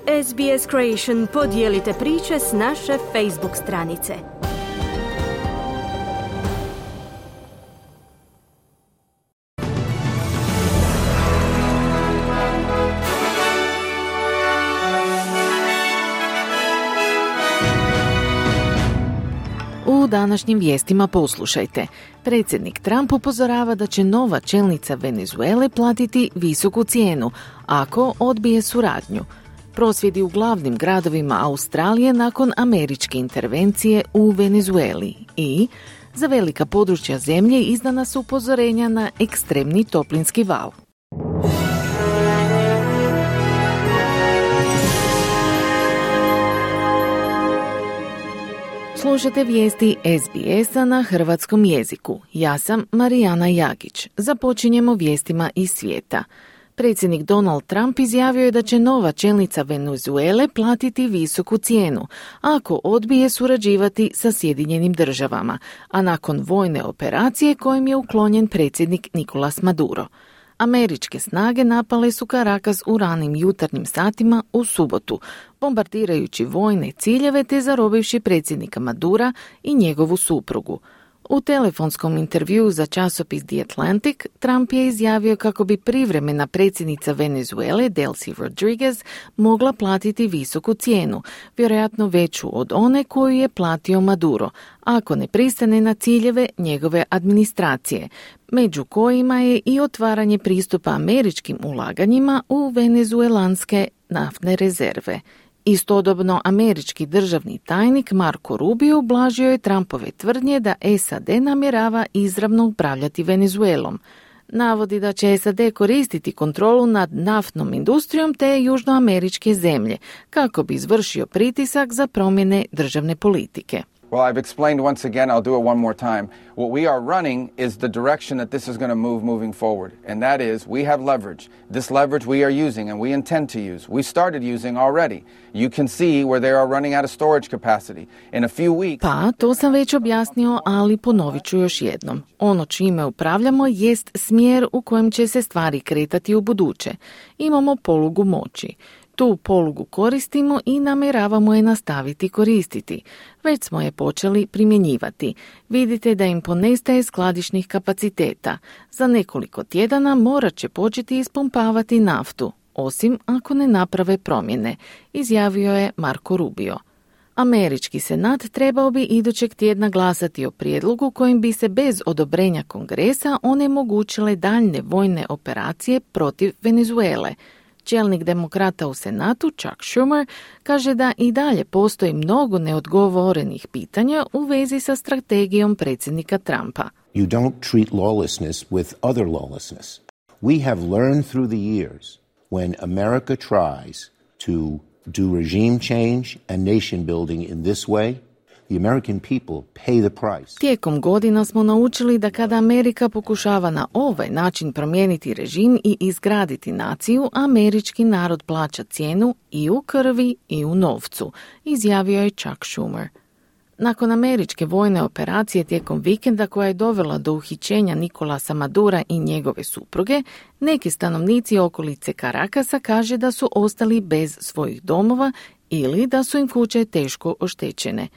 SBS Creation, podijelite priče s naše Facebook stranice. U današnjim vijestima poslušajte. Predsjednik Trump upozorava da će nova čelnica Venezuele platiti visoku cijenu ako odbije suradnju. Prosvjedi u glavnim gradovima Australije nakon američke intervencije u Venezueli i za velika područja zemlje izdana su upozorenja na ekstremni toplinski val. Slušate vijesti SBS-a na hrvatskom jeziku. Ja sam Marijana Jagić. Započinjemo vijestima iz svijeta. Predsjednik Donald Trump izjavio je da će nova čelnica Venezuele platiti visoku cijenu ako odbije surađivati sa Sjedinjenim državama, a nakon vojne operacije kojim je uklonjen predsjednik Nicolás Maduro. Američke snage napale su Caracas u ranim jutarnjim satima u subotu, bombardirajući vojne ciljeve te zarobivši predsjednika Madura i njegovu suprugu. U telefonskom intervjuu za časopis The Atlantic, Trump je izjavio kako bi privremena predsjednica Venezuele, Delcy Rodriguez, mogla platiti visoku cijenu, vjerojatno veću od one koju je platio Maduro, ako ne pristane na ciljeve njegove administracije, među kojima je i otvaranje pristupa američkim ulaganjima u venezuelanske naftne rezerve. Istodobno, američki državni tajnik Marco Rubio ublažio je Trumpove tvrdnje da SAD namjerava izravno upravljati Venezuelom. Navodi da će SAD koristiti kontrolu nad naftnom industrijom te južnoameričke zemlje, kako bi izvršio pritisak za promjene državne politike. Well, I've explained once again, I'll do it one more time. What we are running is the direction that this is going to move moving forward. And that is, we have leverage. This leverage we are using and we intend to use. We started using already. You can see where they are running out of storage capacity. In a few weeks... Pa, to sam već objasnio, ali ponovit ću još jednom. Ono čime upravljamo jest smjer u kojem će se stvari kretati u buduće. Imamo polugu moći. Tu polugu koristimo i namjeravamo je nastaviti koristiti. Već smo je počeli primjenjivati. Vidite da im ponestaje skladišnih kapaciteta. Za nekoliko tjedana morat će početi ispumpavati naftu, osim ako ne naprave promjene, izjavio je Marco Rubio. Američki senat trebao bi idućeg tjedna glasati o prijedlogu kojim bi se bez odobrenja Kongresa onemogućile daljne vojne operacije protiv Venezuele. Čelnik demokrata u Senatu, Chuck Schumer, kaže da i dalje postoji mnogo neodgovorenih pitanja u vezi sa strategijom predsjednika Trumpa. You don't treat lawlessness with other lawlessness. We have learned through the years when America tries to do regime change and nation building in this way, the American people pay the price. Tijekom godina smo naučili da kada Amerika pokušava na ovaj način promijeniti režim i izgraditi naciju, američki narod plaća cijenu i u krvi i u novcu, izjavio je Chuck Schumer. Nakon američke vojne operacije tijekom vikenda koja je dovela do uhićenja Nicolasa Madura i njegove supruge, neki stanovnici okolice Caracasa kaže da su ostali bez svojih domova ili da su im kuće teško oštećene.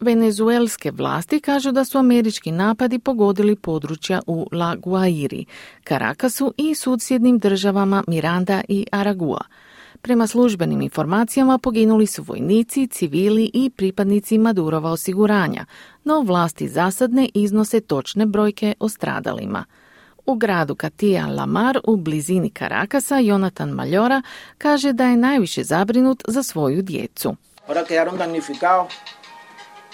Venezuelske vlasti kažu da su američki napadi pogodili područja u La Guairi, Caracasu i susjednim državama Miranda i Aragua. Prema službenim informacijama poginuli su vojnici, civili i pripadnici Madurova osiguranja, no vlasti zasad ne iznose točne brojke o stradalima. U gradu Katija Lamar u blizini Caracasa Jonathan Maljora kaže da je najviše zabrinut za svoju djecu. Ahora quedaron damnificados.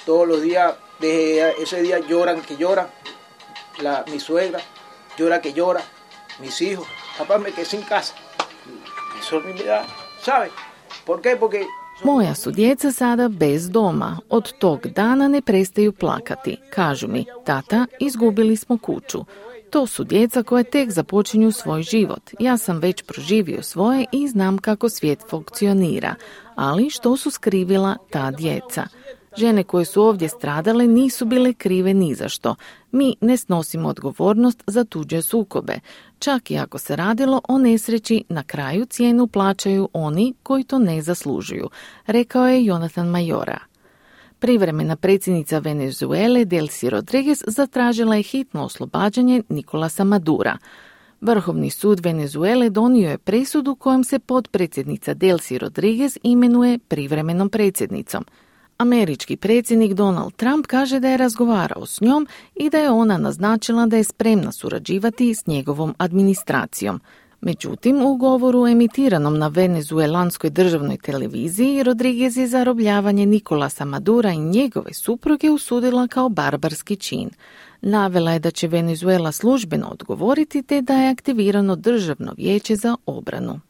Todos los días, desde ese día lloran que llora, mi suegra llora que llora, mis hijos, papá me quedé sin casa. Eso me da, ¿sabe? ¿Por qué? Porque moja su djeca sada bez doma. Od tog dana ne prestaju plakati. Kažu mi, tata, izgubili smo kuću. To su djeca koja tek započinju svoj život. Ja sam već proživio svoje i znam kako svijet funkcionira. Ali što su skrivila ta djeca? Žene koje su ovdje stradale nisu bile krive ni za što. Mi ne snosimo odgovornost za tuđe sukobe. Čak i ako se radilo o nesreći, na kraju cijenu plaćaju oni koji to ne zaslužuju, rekao je Jonathan Mayora. Privremena predsjednica Venezuele Delcy Rodriguez zatražila je hitno oslobađanje Nicolasa Madura. Vrhovni sud Venezuele donio je presudu kojom se potpredsjednica Delcy Rodriguez imenuje privremenom predsjednicom. Američki predsjednik Donald Trump kaže da je razgovarao s njom i da je ona naznačila da je spremna surađivati s njegovom administracijom. Međutim, u govoru emitiranom na venezuelanskoj državnoj televiziji, Rodriguez je zarobljavanje Nicolasa Madura i njegove supruge usudila kao barbarski čin. Navela je da će Venezuela službeno odgovoriti te da je aktivirano državno vijeće za obranu.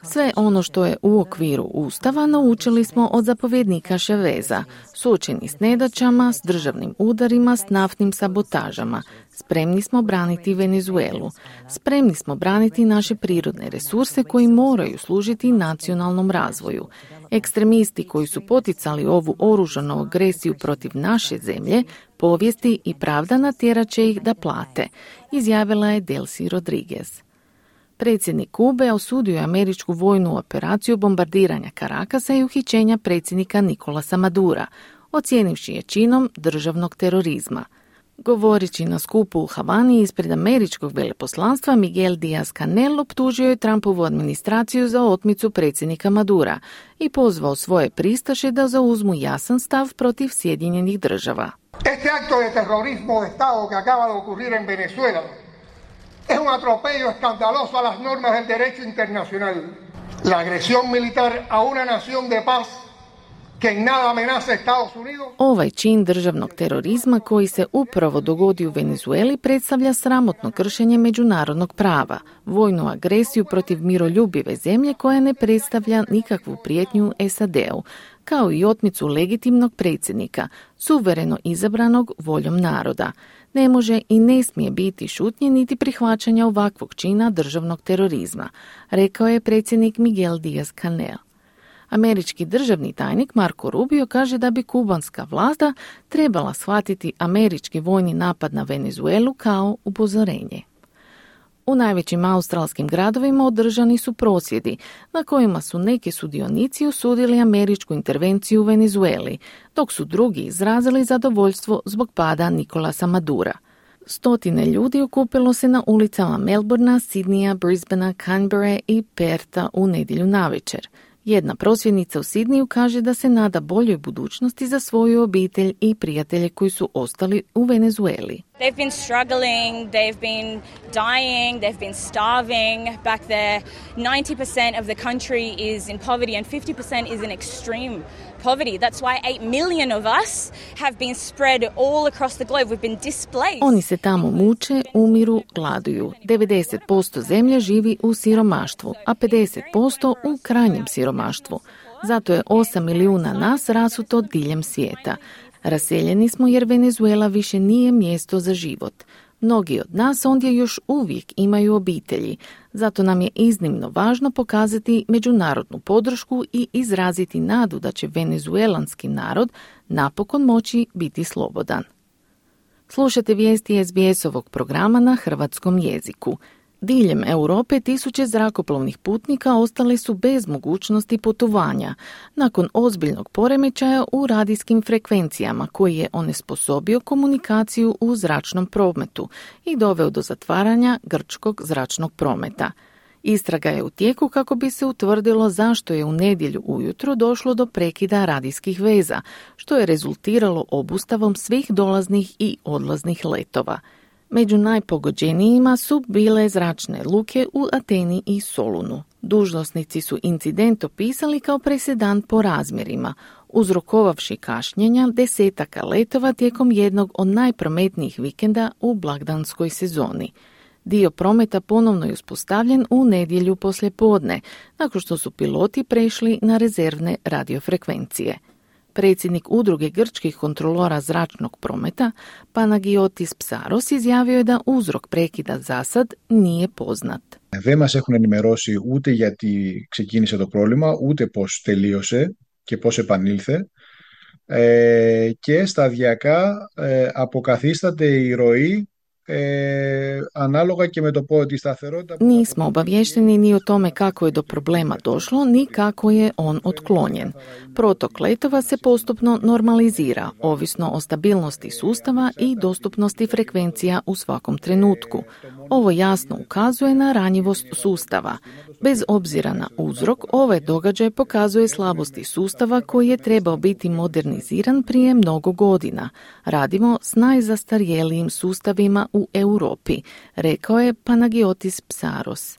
Sve ono što je u okviru Ustava naučili smo od zapovjednika Chaveza, suočeni s nedaćama, s državnim udarima, s naftnim sabotažama. Spremni smo braniti Venezuelu. Spremni smo braniti naše prirodne resurse koji moraju služiti nacionalnom razvoju. Ekstremisti koji su poticali ovu oružanu agresiju protiv naše zemlje, povijesti i pravda natjerat će ih da plate, izjavila je Delcy Rodriguez. Predsjednik Kube osudio je američku vojnu operaciju bombardiranja Carakasa i uhićenja predsjednika Nicolasa Madura, ocijenivši je činom državnog terorizma. Govoreći na skupu u Havani ispred američkog veleposlanstva, Miguel Díaz-Canel optužio je Trumpovu administraciju za otmicu predsjednika Madura i pozvao svoje pristaše da zauzmu jasan stav protiv Sjedinjenih Država. Este acto de terrorismo de Estado que acaba de ocurrir en Venezuela es un atropello escandaloso a las normas del derecho internacional. La agresión militar a una nación de paz que en nada amenaza Estados Unidos. Ovaj čin državnog terorizma koji se upravo dogodio u Venezueli predstavlja sramotno kršenje međunarodnog prava, vojnu agresiju protiv miroljubive zemlje koja ne predstavlja nikakvu prijetnju SAD-u, kao i otmicu legitimnog predsjednika, suvereno izabranog voljom naroda. Ne može i ne smije biti šutnje niti prihvaćanja ovakvog čina državnog terorizma, rekao je predsjednik Miguel Díaz-Canel. Američki državni tajnik Marco Rubio kaže da bi kubanska vlada trebala shvatiti američki vojni napad na Venezuelu kao upozorenje. U najvećim australskim gradovima održani su prosvjedi, na kojima su neki sudionici osudili američku intervenciju u Venezueli, dok su drugi izrazili zadovoljstvo zbog pada Nicolasa Madura. Stotine ljudi okupilo se na ulicama Melbournea, Sidneya, Brisbanea, Canberra i Pertha u nedjelju navečer. Jedna prosvjednica u Sidneyu kaže da se nada boljoj budućnosti za svoju obitelj i prijatelje koji su ostali u Venezueli. They've been struggling, they've been dying, they've been starving back there. 90% of the country is in poverty and 50% is in extreme poverty. That's why 8 million of us have been spread all across the globe. We've been displaced. Oni se tamo muče, umiru, gladuju. 90% zemlje živi u siromaštvu, a 50% u krajnjem siromaštvu. Zato je 8 milijuna nas rasuto diljem svijeta. Raseljeni smo jer Venezuela više nije mjesto za život. Mnogi od nas ondje još uvijek imaju obitelji, zato nam je iznimno važno pokazati međunarodnu podršku i izraziti nadu da će venezuelanski narod napokon moći biti slobodan. Slušate vijesti SBS-ovog programa na hrvatskom jeziku. Diljem Europe tisuće zrakoplovnih putnika ostali su bez mogućnosti putovanja nakon ozbiljnog poremećaja u radijskim frekvencijama koji je onesposobio komunikaciju u zračnom prometu i doveo do zatvaranja grčkog zračnog prometa. Istraga je u tijeku kako bi se utvrdilo zašto je u nedjelju ujutro došlo do prekida radijskih veza, što je rezultiralo obustavom svih dolaznih i odlaznih letova. Među najpogođenijima su bile zračne luke u Ateni i Solunu. Dužnosnici su incident opisali kao presedan po razmjerima, uzrokovavši kašnjenja desetaka letova tijekom jednog od najprometnijih vikenda u blagdanskoj sezoni. Dio prometa ponovno je uspostavljen u nedjelju poslijepodne, nakon što su piloti prešli na rezervne radiofrekvencije. Predsjednik udruge grčkih kontrolora zračnog prometa, Panagiotis Psaros, izjavio je da uzrok prekida zasad nije poznat. Δεν μας έχουν ενημερώσει ούτε γιατί ξεκίνησε το πρόβλημα, ούτε πώς τελείωσε και πώς επανήλθε, και σταδιακά αποκαθίσταται η ροή analoga και με το τη stαθερότητα. Nismo obavješteni ni o tome kako je do problema došlo, ni kako je on otklonjen. Protok letova se postupno normalizira, ovisno o stabilnosti sustava i dostupnosti frekvencija u svakom trenutku. Ovo jasno ukazuje na ranjivost sustava. Bez obzira na uzrok, ovaj događaj pokazuje slabosti sustava koji je trebao biti moderniziran prije mnogo godina. Radimo s najzastarjelijim sustavima u Europi, rekao je Panagiotis Psaros.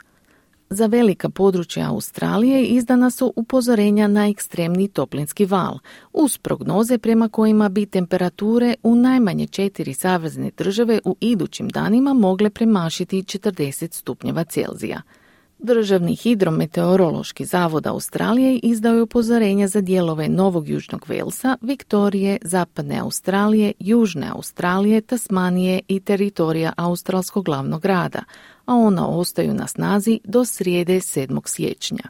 Za velika područja Australije izdana su upozorenja na ekstremni toplinski val, uz prognoze prema kojima bi temperature u najmanje 4 savezne države u idućim danima mogle premašiti 40 stupnjeva Celzija. Državni hidrometeorološki zavod Australije izdao je upozorenja za dijelove Novog Južnog Velsa, Viktorije, Zapadne Australije, Južne Australije, Tasmanije i teritorija australskog glavnog grada, a ona ostaju na snazi do srijede 7. siječnja.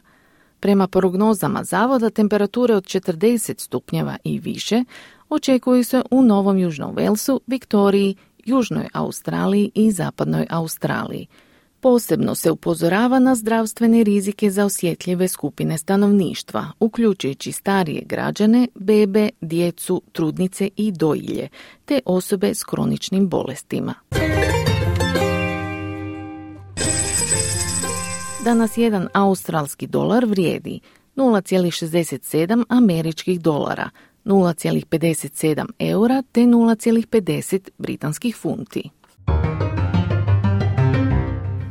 Prema prognozama zavoda, temperature od 40 stupnjeva i više očekuju se u Novom Južnom Velsu, Viktoriji, Južnoj Australiji i Zapadnoj Australiji. Posebno se upozorava na zdravstvene rizike za osjetljive skupine stanovništva, uključujući starije građane, bebe, djecu, trudnice i dojilje, te osobe s kroničnim bolestima. Danas jedan australski dolar vrijedi 0,67 američkih dolara, 0,57 eura te 0,50 britanskih funti.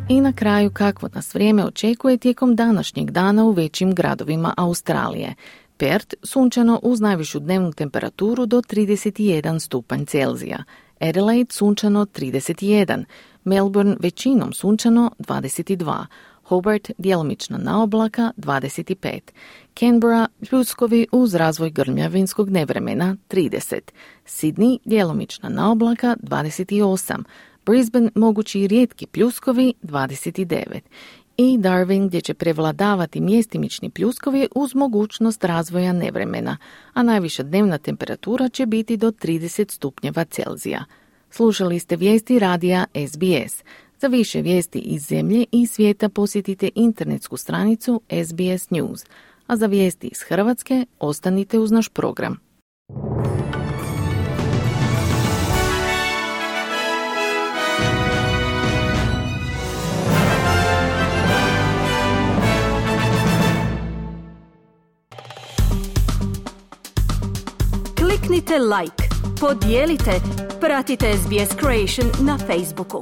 I na kraju kakvo nas vrijeme očekuje tijekom današnjeg dana u većim gradovima Australije. Perth sunčano uz najvišu dnevnu temperaturu do 31 stupanj Celzija. Adelaide sunčano 31, Melbourne većinom sunčano 22, Hobart djelomična naoblaka 25, Canberra pljuskovi uz razvoj grmljavinskog nevremena 30, Sydney djelomična naoblaka 28, Brisbane mogući i rijetki pljuskovi 29 i Darwin gdje će prevladavati mjestimični pljuskovi uz mogućnost razvoja nevremena, a najviša dnevna temperatura će biti do 30 stupnjeva Celzija. Slušali ste vijesti radija SBS. Za više vijesti iz zemlje i svijeta posjetite internetsku stranicu SBS News, a za vijesti iz Hrvatske ostanite uz naš program. Kliknite like, podijelite, pratite SBS Creation na Facebooku.